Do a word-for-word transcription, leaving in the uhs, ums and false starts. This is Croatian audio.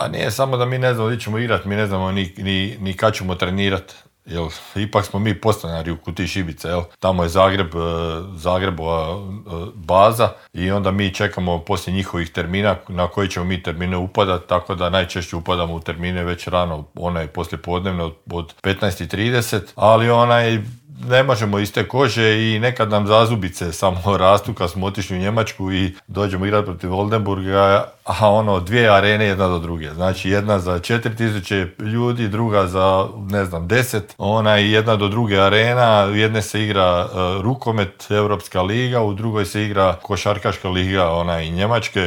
A nije samo da mi ne znamo gdje ćemo igrati, mi ne znamo ni, ni, ni kad ćemo trenirati. Jel, ipak smo mi podstanari u Kutiji Šibice, jel? Tamo je Zagreb, Zagrebova baza i onda mi čekamo poslije njihovih termina na koji ćemo mi termine upadati, tako da najčešće upadamo u termine već rano, onaj poslije podnevne od, od petnaest i trideset, ali onaj ne možemo iz te kože i nekad nam zazubice samo rastu kad smo otišli u Njemačku i dođemo igrati protiv Oldenburga, a ono dvije arene jedna do druge. Znači jedna za četiri tisuće ljudi, druga za ne znam deset, ona i jedna do druge arena, u jedne se igra uh, rukomet, Europska liga, u drugoj se igra košarkaška liga, ona i Njemačke,